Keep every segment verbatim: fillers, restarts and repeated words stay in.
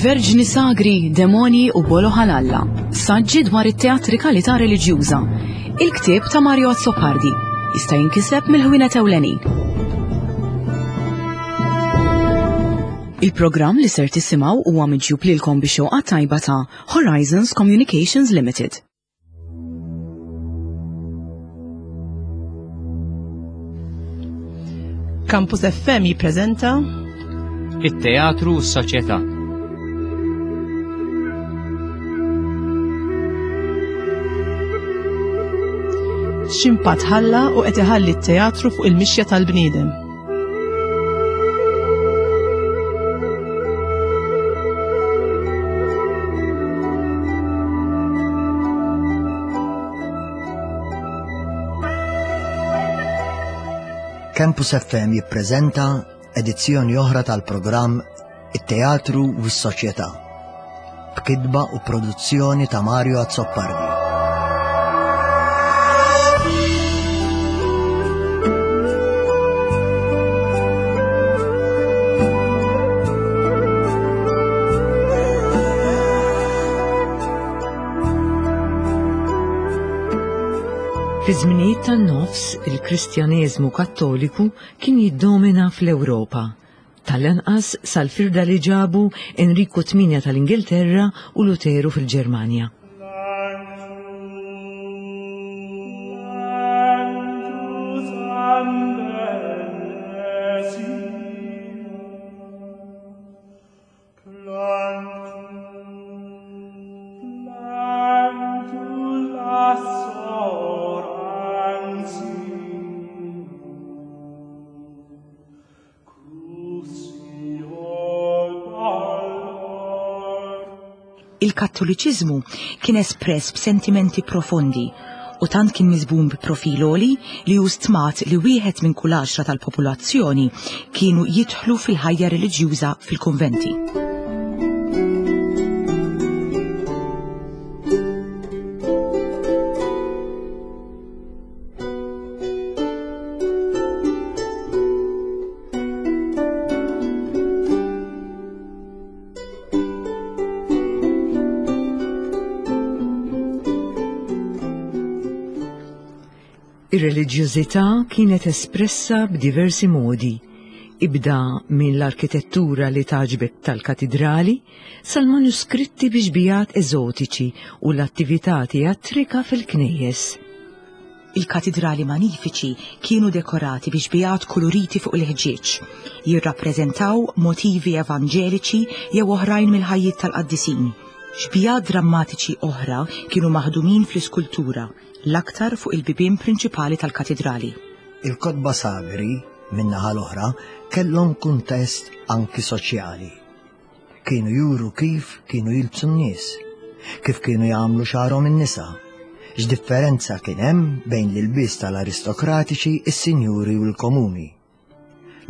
Verġni Sagri, Demoni u Bolo Ħalalla. Saġġi dwar it-teatrikalità reliġjuża. Il-ktieb ta' Mario Azzopardi jista' jinkiseb mill-ħwienet ewlenin. Il-programm li ser tisimgħu huwa miġjub lilkom bi xewqa tajba ta' Horizons Communications Limited. Campus F M jippreżenta It-teatru u s-soċjetà. X'impatt ħalla u qed iħalli t-teatru fuq il-mixja tal-bniedem. Campus F M jippreżenta edizzjoni oħra tal-programm It-Teatru u s-Soċjetà, b'kitba u produzzjoni ta' Mario Azzopardi. Fi żminijiet tan-nofs, il-Kristjaneżmu Kattoliku kien jiddomina fl-Ewropa. Tal-anqas sal-firda li ġabu Enriku Tminja tal-Ingilterra u Luteru fil-Ġermanja. Il-Kattoliċiżmu kien espress b'sentimenti profondi u tant kien miżbum bi profil għoli li hu stmat li wieħed minn kull għaxra tal-popolazzjoni kienu jidħlu fil-ħajja reliġjuża fil-kunventi. Ir-reliġjożità kienet espressa b'diversi modi, ibda minn l-arkitettura li tagħġbek tal-katidrali sal-manuskritti bi xbihat eżotiċi u l-attività teatrika fil-knejjes. Il-katidrali manifiċi kienu dekorati bi xbihat koloriti fuq il-ħġieġ, jirrappreżentaw motivi evanġeliċi jew oħrajn mill-ħajjiet tal-qaddisin. Xbihat drammatiċi oħra kienu maħdumin fl-iskultura, l-aktar fuq il-bibien prinċipali tal-katidrali. Il-kotba sagri, min-naħa l-oħra, kellhom kuntest anki soċjali. Kienu juru kif kienu jilbsu n-nies, kif kienu jagħmlu xagħarhom in-nisa, x'differenza kien hemm bejn l-ilbies tal-aristokratiċi, is-sinjuri u l-komuni.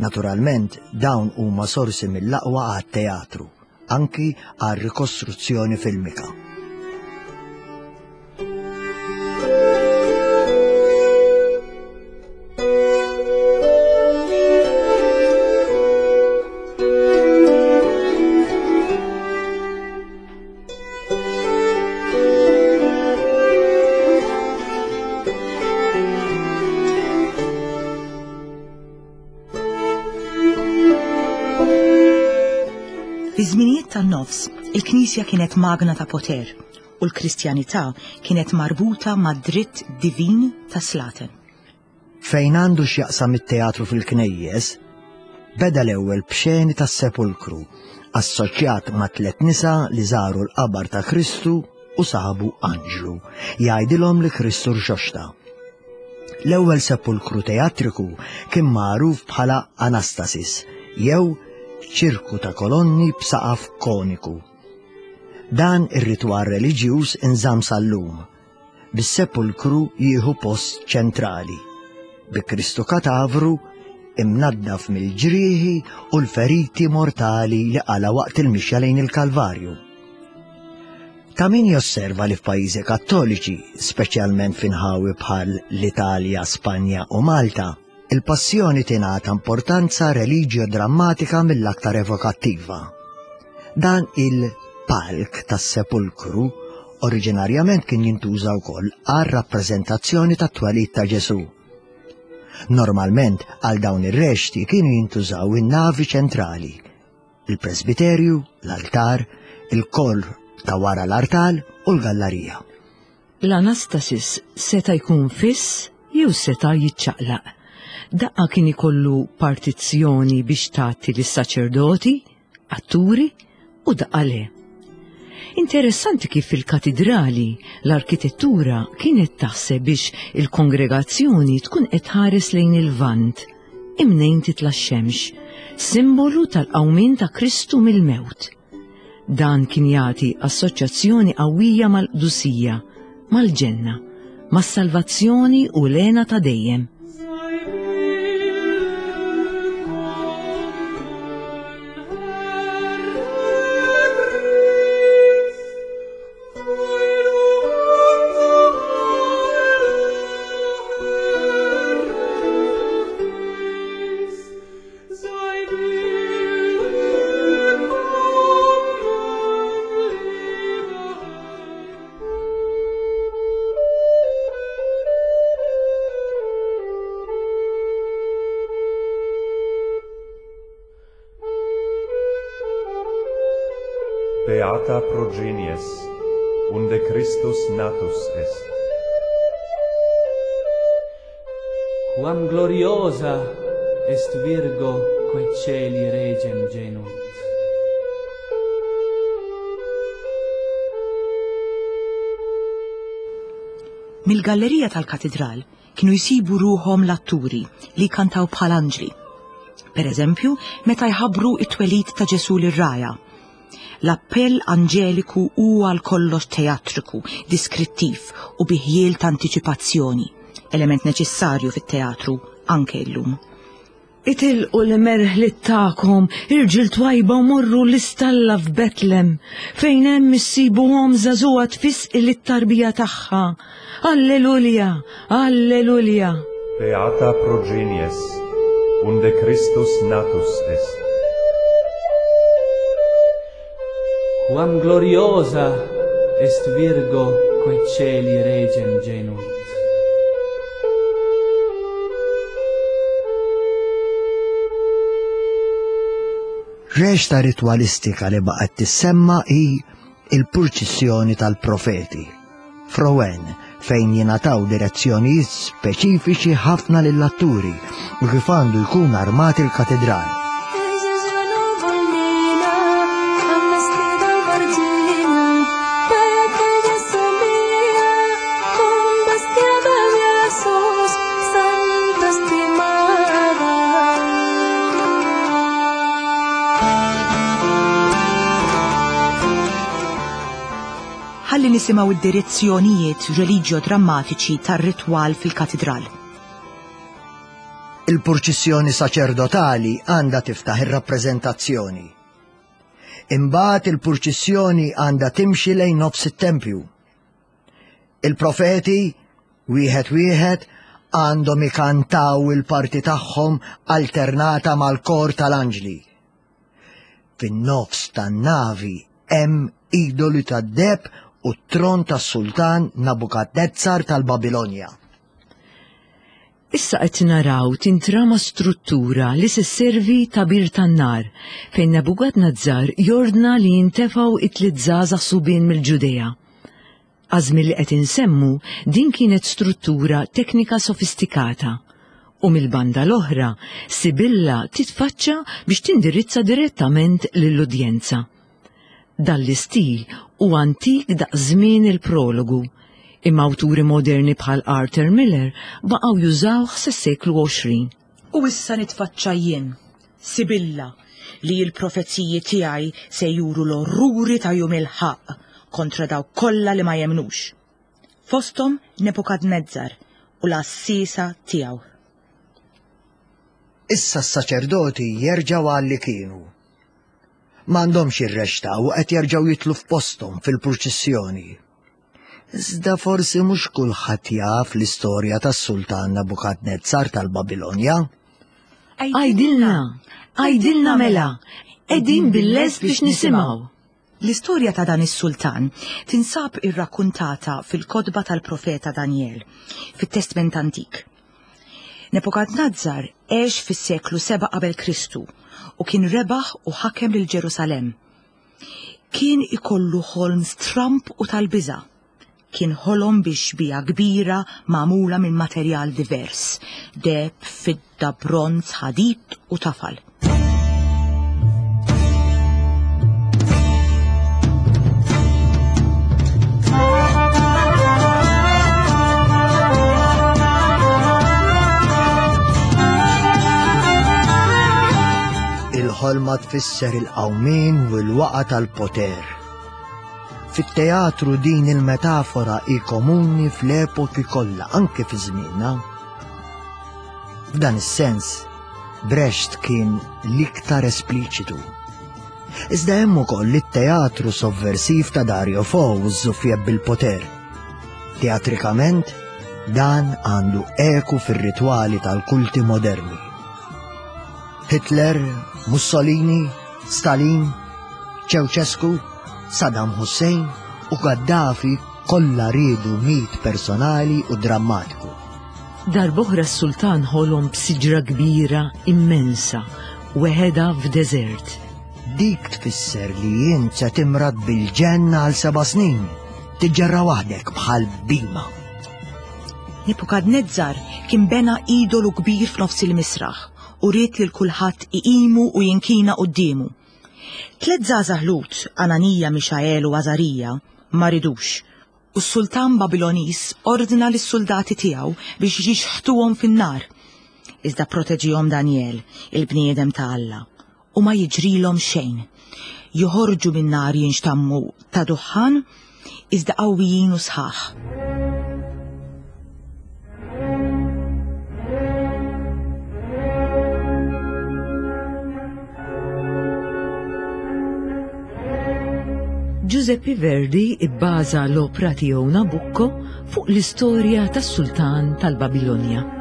Naturalment, dawn huma sorsi mill-aqwa għat-teatru, anki għal rikostruzzjoni filmika. Fi żminijiet tan-nofs, il-Knisja kienet magna ta' poter u l-Kristjanità kienet marbuta mad dritt divin ta' slaten. Fejn għandu x'jaqsam it-teatru fil-knejjes, beda l-ewwel b'xeni tas-sepulkru, assoċjat ma' tliet nisa li żaru l-qabar ta' Kristu u sabu anġlu, jgħidilhom li Kristu rxoxta. L-ewwel sepulkru teatriku kien magħruf bħala Anastasis jew ċirku ta' kolonni b'saqaf koniku. Dan ir-ritwal reliġjuż inżamm sal-lum, bis-sepulkru jieħu post ċentrali, bi Kristu katavru imnaddaf mill-ġrieħi u l-feriti mortali li qala waqt il-mixja lejn il-Kalvarju. Ta' min josserva li f'pajjiżi Kattoliċi, speċjalment f'inħawi bħal l-Italja, Spanja u Malta, il-passjoni tingħata importanza reliġjo-drammatika mill-aktar evokattiva. Dan il-palk tas-sepulkru oriġinarjament kien jintuża wkoll għal rappreżentazzjoni tat-twelid ta' Ġesù. Normalment għal dawn ir-rexti kienu jintużaw in-navi ċentrali, il-presbiterju, l-altar, il-kor ta' wara l-artal u l-gallarija. L-Anastasis seta' jkun fiss jew seta' jiċċaqlaq. Daqqa kien ikollu partizzjoni biex tagħti lis-saċerdoti, atturi u daqqa le. Interessanti kif fil-katidrali l-arkitettura kienet taħseb biex il-kongregazzjoni tkun qed tħares lejn il-Lvant, imnejn titla' x-xemx, simbolu tal-qawmien ta' Kristu mill-mewt. Dan kien jagħti assoċjazzjoni qawwija mal-qdusija, mal-ġenna, mas-salvazzjoni u l-hena ta' dejjem. Beata progenies, unde Christus natus est. Quam gloriosa est Virgo quae celi regem genuit. Mill-gallerija tal-katedral kienu jsibu ruħhom l-atturi li kantaw bħal anġli. Per eżempju, meta jħabbru it-twelid ta' Ġesù lir-raja. L-appell anġeliku huwa għal kollox teatriku, diskrittiv u bi ħjiel ta' antiċipazzjoni, element neċessarju fit-teatru anke llum. Itilqu l-merħliet tagħkom, irġiel twajba u morru l-istalla f'Betlem, fejn hemm issibuhom żagħżugħa tfisqi lit-tarbija tagħha. Alleluja, alleluja. Beata progenies, unde Christus natus est. Quam gloriosa est Virgo quae celi regem genuit. Reċta ritwalistika li baqgħet tissemma hi il-purċissjoni tal-profeti, f'Rouen, fejn jingħataw direzzjonijiet speċifiċi ħafna lill-atturi u kif għandu jkun armat il-katedral. Ħalli nisimgħu id-direzzjonijiet reliġjo-drammatiċi tar-ritwal fil-katedral. Il-purċissjoni saċerdotali għandha tiftaħ ir-rappreżentazzjoni. Imbagħad il-purċissjoni għandha timxi lejn nofs it-tempju. Il-profeti, wieħed wieħed, għandhom ikantaw il-parti tagħhom alternata mal-kor tal-anġli. Fin-nofs tan-navi hemm idoli tad-deheb u t-tron tas-sultan Nabukadnezzar tal-Babilonja. Issa qed naraw tintrama struttura li se sservi ta' bir tan-nar fejn Nabukadnezzar jordna li jintefgħu it-tliet żgħażagħ subien mill-Ġudea. Għażmien li qed insemmu din kienet struttura teknika sofistikata u mill-banda l-oħra Sibilla titfaċċa biex tindirizza direttament lill-udjenza. Dan l-istil hu antik daqs żmien il-prologu, imma awturi moderni bħal Arthur Miller baqgħu jużawh sas-seklu għoxrin. U issa nitfaċċa jien, Sibilla, li l-profeziji tiegħi se juru l-orruri ta' jum il-ħaqq kontra dawk kollha li ma jemnux. Fosthom Nebukadnezzar u l-assisa tiegħu. Issa s-saċerdoti jerġgħu għal li kienu. M'għandhomx irrexta u qed jerġgħu jitlu f'posthom fil-purċissjoni. Iżda forsi mhux kulħadd jaf l-istorja tas-sultan Nabukadnezzar tal-Babilonja. Għajdilna, għajdilna mela, Qegħdin bil-lest biex nisimgħu. L-istorja ta' dan is-sultan tinsab irrakkuntata fil-kotba tal-profeta Daniel, fit-Testment Antik. Nebukadnazzar għex fis-seklu seba' qabel Kristu u kien rebaħ u ħakem lil Ġerusalemm. Kien ikollu ħolm stramb u tal-biża'. Kien ħolom bi xbieha kbira magħmula minn materjal divers, deheb, fidda, bronz, ħadid u tafal. Il-ħolma tfisser il-qawmien u l-waqa tal-poter. Fit-teatru din il-metafora hi komuni fl-epoki kollha, anke fi żmienna. F'dan is-sens, Brecht kien l-iktar espliċitu. Iżda hemm ukoll it-teatru sovversiv ta' Dario Fo u ż-żuffjett bil-poter. Teatrikament, dan għandu eku fir-ritwali tal-kulti moderni. Hitler, Mussolini, Stalin, Ceausescu, Saddam Hussein u Gaddafi kollha riedu mit personali u drammatiku. Darb'oħra s-sultan ħolom b'siġra kbira immensa, weħedha f'deżert. Dik tfisser li int se timrad bil-ġenna għal seba' snin, tiġġerra waħdek bħal bima. Nebukadnezzar kien bena idolu kbir f'nofs il-misraħ u ried lil kulħadd iqimu u jinkina quddiemu. Tliet żgħażagħ Lut, Ananija, Mixael u Azarija, ma ridux, u s-sultan Babiloniż ordna lis-soldati tiegħu biex jixħtuhom fin-nar. Iżda proteġihom Daniel, il-bniedem ta' Alla, u ma jiġrilhom xejn. Joħorġu min-nar jinxtammu ta' duħħan, iżda qawwijin u sħaħ. Giuseppe Verdi ibbaża l-opra tiegħu Nabucco fuq l-istorja tas-sultan tal-Babilonja.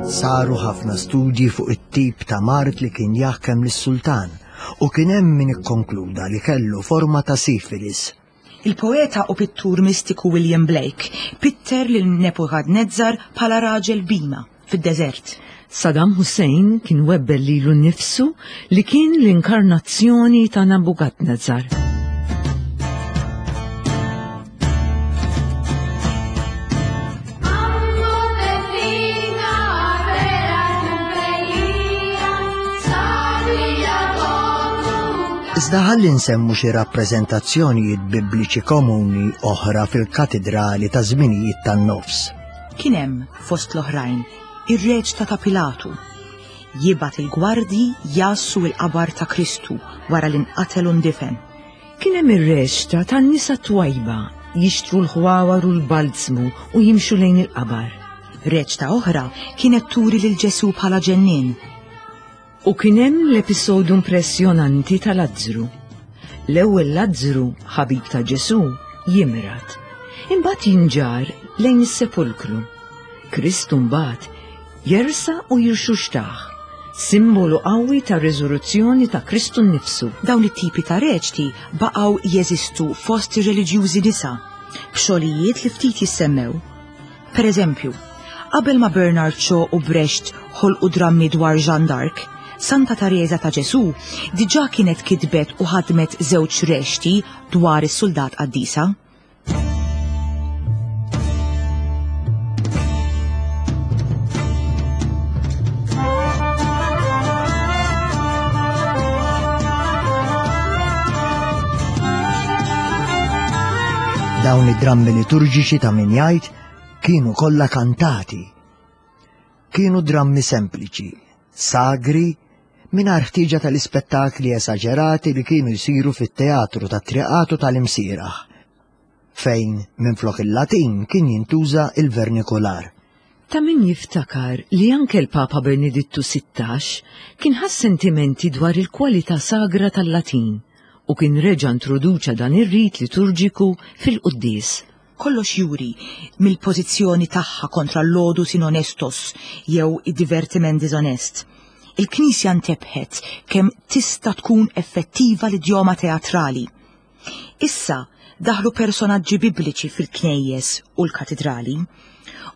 Saru ħafna studji fuq it-tip ta' mard li kien jaħkem lis-sultan u kien hemm min ikkonkluda li kellu forma ta' sifilis. Il-poeta u pittur mistiku William Blake pitter lil Nebukadnezzar bħala raġel bima fid-deżert. Saddam Hussein kien webbel lilu nnifsu li kien l-inkarnazzjoni ta' Nabukadnezzar. Iżda ħalli nsemmu xi rappreżentazzjonijiet bibliċi komuni oħra fil-katidrali ta' żminijiet tan-nofs. Kien hemm fost l-oħrajn ir-reċta ta' Pilatu. Jibgħat il-gwardji jassu l-qabar ta' Kristu wara li nqatel u ndifen. Kien hemm ir-reċta tan-nisa twajba jixtru l-ħwawar u l-balzmu u jimxu lejn il-qabar. Reċta oħra kienet turi lil Ġesu bħala ġennien. U kien hemm l-episodju impressjonanti ta' Lazzru. L-ewwel Lazzru, ħabib ta' Ġesu, jimrad. Imbagħad jinġar lejn is-sepulkru. Kristu mbagħad jersa u jirxuxtaħ, simbolu qawwi ta' riżuruzzjoni ta' Kristu nnifsu. Dawn it-tipi ta' reċti baqgħu jeżistu fost ir-reliġjużi nisa, b'xogħlijiet li ftit jissemmew. Per eżempju, qabel ma Bernard Shaw u Brecht ħolqu drammi dwar Jeanne d'Arc, Santa Teresa ta' Ġesu diġà kienet kitbet u ħadmet żewġ reċti dwar is-suldat qaddisa. Dawn id-drammi liturġiċi ta' min jgħid kienu kollha kantati. Kienu drammi sempliċi, sagri, mingħajr ħtieġa tal-ispettakli esaġerati li kienu jsiru fit-teatru tat-triqatu tal-imsieraħ, fejn minflok il-Latin kien jintuża il-vernikular. Ta' min jiftakar li anke l-Papa Benedittu sittax kien ħass sentimenti dwar il-kwalità sagra tal-Latin u kien reġa' introduċa dan ir-rit liturġiku fil-quddies. Kollox juri mill-pożizzjoni tagħha kontra l-lodus in honestos jew id-divertiment diżonest. Il-Knisja ntebħet kemm tista' tkun effettiva l-idjoma teatrali. Issa daħlu personaġġi bibliċi fil-knejjes u l-katidrali,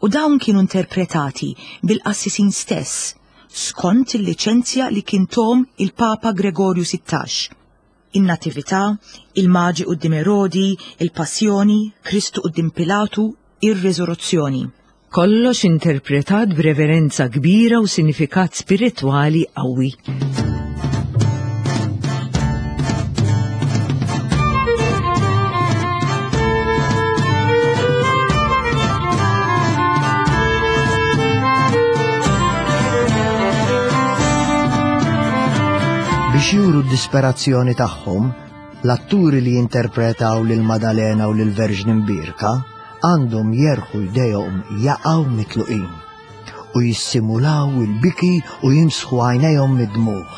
u dawn kienu interpretati bil-qassisin stess skont il-liċenzja li kien tom il-Papa Gregorju sittax. In-Natività, il-Maġi quddiem Erodi, il-Passjoni, Kristu quddiem Pilatu, ir-Riżuruzzjoni. Kollox interpretat b'reverenza kbira u sinifikat spiritwali qawwi. Biex juru d-disperazzjoni tagħhom, l-atturi li jinterpretaw lil Madalena u lil Verġni Mbierka għandhom jerħu jdejhom jaqgħu mitluqin u jissimulaw il-biki u jimsħu għajnejhom mid-dmugħ.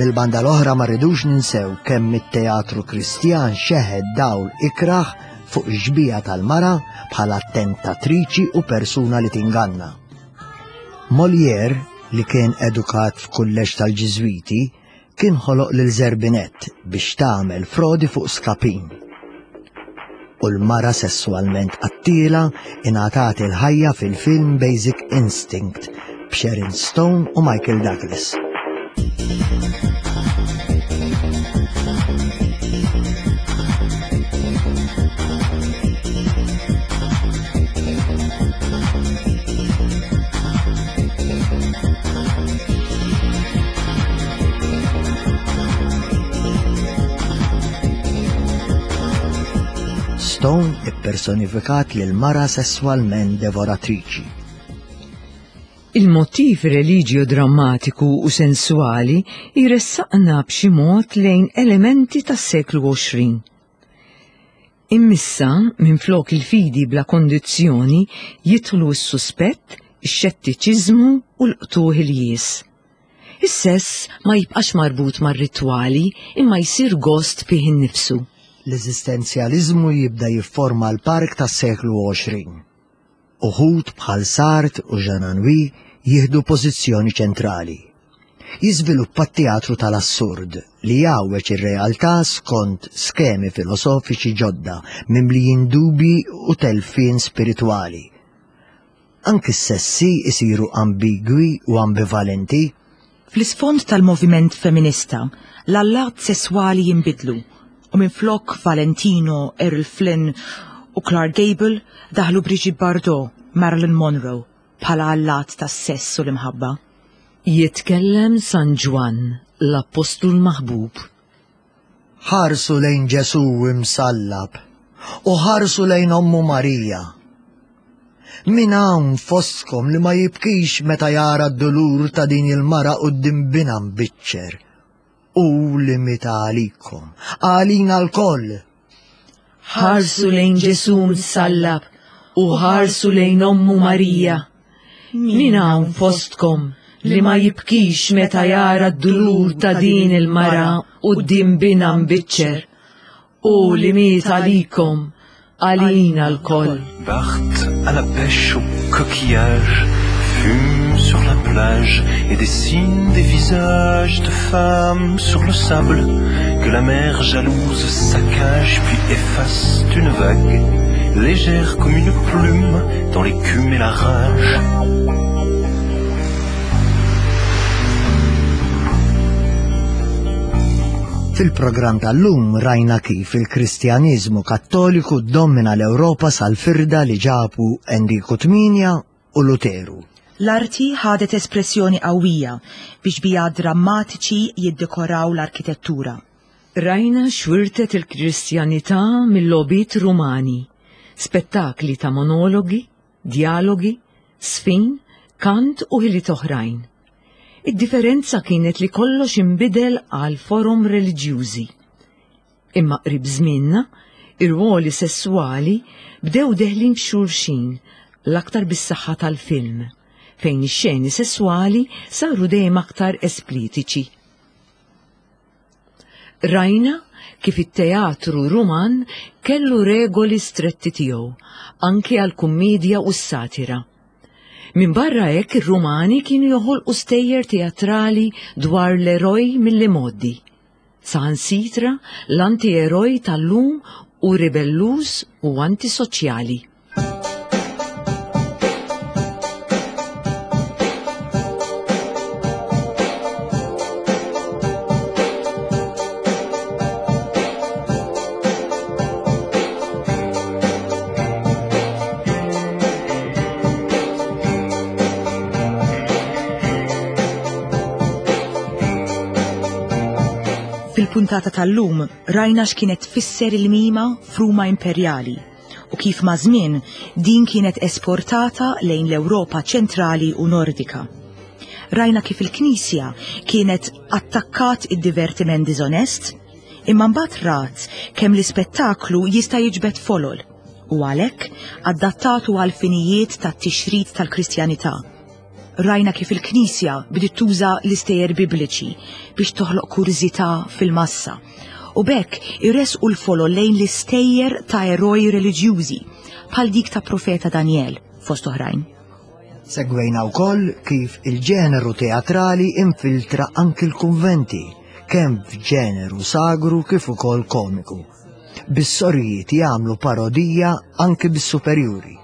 Mill-banda l-oħra ma rridux ninsew kemm it-teatru Kristjan xeħed dawl ikraħ fuq ix-xbieha tal-mara bħala tentatriċi u persuna li tinganna. Molière, li kien edukat f'kulleġġ tal-Ġiżwiti, kien ħoloq lil Zerbinett biex tagħmel frodi fuq Skapin. U l-mara sessualment qattila ingħatat il-ħajja fil-film Basic Instinct b'Sharon Stone u Michael Douglas. Stone ippersonifikat lil mara sesswalment devoratriċi. Il-motiv religio drammatiku u sensuali jressaqna b'xi mod lejn elementi tas-seklu għoxrin. Immissa, minflok il-fidi bla kondizzjoni, jidħlu s-suspett, ix-xettiċiżmu u l-qtuħ il-jies. Is-sess ma jibqax marbut mar-ritwali imma jsir gost fih innifsu. L-eżistenzjaliżmu jibda jifforma l-park tas-seklu għoxrin. Uħud bħal Sartre u Jean Anouilh jieħdu pożizzjoni ċentrali. Jiżviluppa t-teatru tal-assurd li jgħawweġ ir-realtà skont skemi filosofiċi ġodda mimlijin dubji u telfien spiritwali. Anki s-sessi isiru ambigwi u ambivalenti. Fl-isfond tal-moviment feminista, l-allat sesswali jinbidlu u minflok Valentino, Errol Flynn u Clark Gable daħlu Brigitte Bardot, Marilyn Monroe bħala allat tas-sess u l-imħabba. Jitkellem San Ġwann, l-Appostlu l-Maħbub. Ħarsu lejn Ġesù imsallab u ħarsu lejn ommu Marija. Min hawn fostkom li ma jibkix meta jara d-dulur ta' din il-mara quddiem binha mbiċċer? U li mita għalikom, għalina lkoll. Ħarsu lejn Ġesù msallab u ħarsu lejn ommu Marija. Min hawn fostkom li ma jibkix meta jara d-dulur ta' din il-mara quddiem binha mbiċċer? U li miet għalikom, għalina lkoll. Barthes à la pêche au coquillage, fume sur la plage et dessine des visages de femmes sur le sable que la mer jalouse saccage puis efface d'une vague légère comme une plume dans l'écume et la rage. Fil-programm tal-lum rajna kif il-Kristjaniżmu Kattoliku ddomina l-Ewropa sal-firda li ġabu Enriku tmienja u Luteru. L-arti ħadet espressjoni qawwija biex bija drammatiċi jiddekoraw l-arkitettura. Rajna xwirtet il-Kristjanità mill-logħbiet Rumani, spettakli ta' monologi, dialogi, sfin, kant u ħiliet oħrajn. Id-differenza kienet li kollox inbidel għal forom reliġjużi. Imma qrib żmienna, ir-ruoli sessuali bdew deħlin f'xulxin l-aktar bis-saħħa tal-film, fejn ix-xeni sessuali saru dejjem aktar esplitiċi. Rajna kif it-teatru Ruman kellu regoli stretti tiegħu, anki għall-kummedja u s-satira. Min barra hekk ir-Rumani kienu joħolqu stejjer teatrali dwar l-eroj mill-imgħoddi. Saħansitra l-anti-eroj tal-lum u ribelluż u antisoċjali. Fil-puntata tal-lum rajna x'kienet tfisser il-mima f'Ruma Imperjali u kif ma' żmien din kienet esportata lejn l-Ewropa ċentrali u Nordika. Rajna kif il-Knisja kienet attakkat id-divertiment diżonest, imma mbagħad rat kemm l-ispettaklu jista' jiġbed folol u għalhekk adattatu għal finijiet tat-tixrid tal-Kristjanità. Rajna kif il-Knisja bdiet tuża l-istejjer bibliċi biex toħloq kurżità fil-massa u b'hekk irresqu l-folol lejn l-istejjer ta' eroj reliġjużi bħal dik ta' profeta Daniel fost oħrajn. Segwejna wkoll kif il-ġeneru teatrali infiltra anki l-kunventi, kemm f'ġeneru sagru kif ukoll komiku. Bis-sorijiet jagħmlu parodija anki bis-superjuri.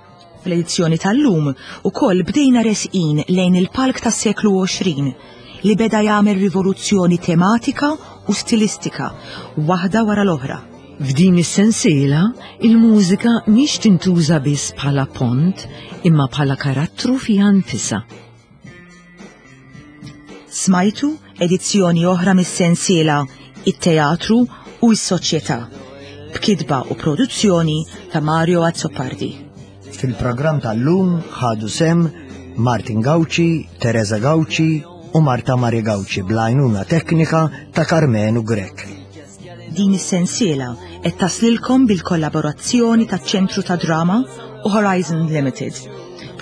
Fl-edizzjoni tal-lum ukoll bdejna resqin lejn il-palk tas-seklu għoxrin li beda jagħmel rivoluzzjoni tematika u stilistika waħda wara l-oħra. F'din is-sensiela, il-mużika mhix tintuża biss bħala pont imma bħala karattru fiha nfisha. Smajtu edizzjoni oħra mis-sensiela It-Teatru u s-Soċjetà b'kitba u produzzjoni ta' Mario Azzopardi. Fil-programm tal-lum ħadu sem Martin Gauci, Teresa Gauci u Marta Maria Gauci bl-għajnuna teknika ta' Karmenu Grech. Din is-sensiela qed taslilkom bil-kollaborazzjoni taċ-Ċentru ta' Drama u Horizon Limited,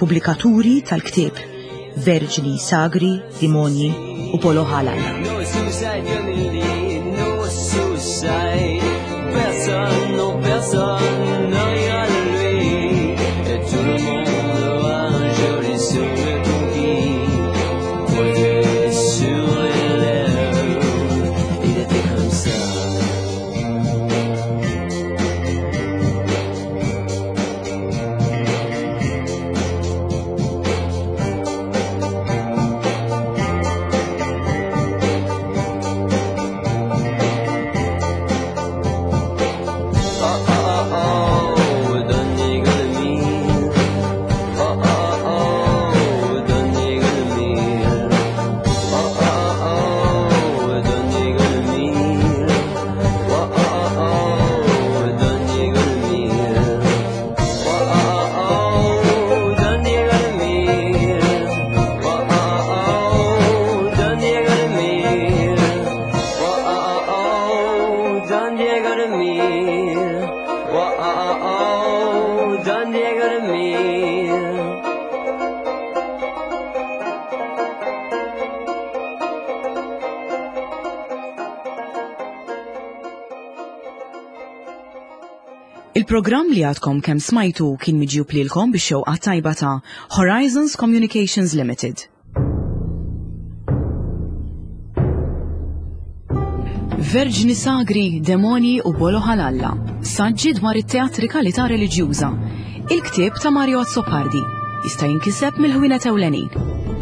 pubblikaturi tal-ktieb Verġni Sagri, Dimonji u Polo Ħalal. No suicide, no suicide. Personne, non personne, ne rira de lui. Et tout le monde Il-programm li għadkom kemm smajtu kien miġjub lilkom bix-xewqa tajba ta' Horizons Communications Limited. Verġni Sagri, Demoni u Bolo Ħalalla. Saġġi dwar it-teatrikalità reliġjuża. Il-ktieb ta' Mario Azzopardi. Jista' jinkiseb mill-ħwienet ewlenin.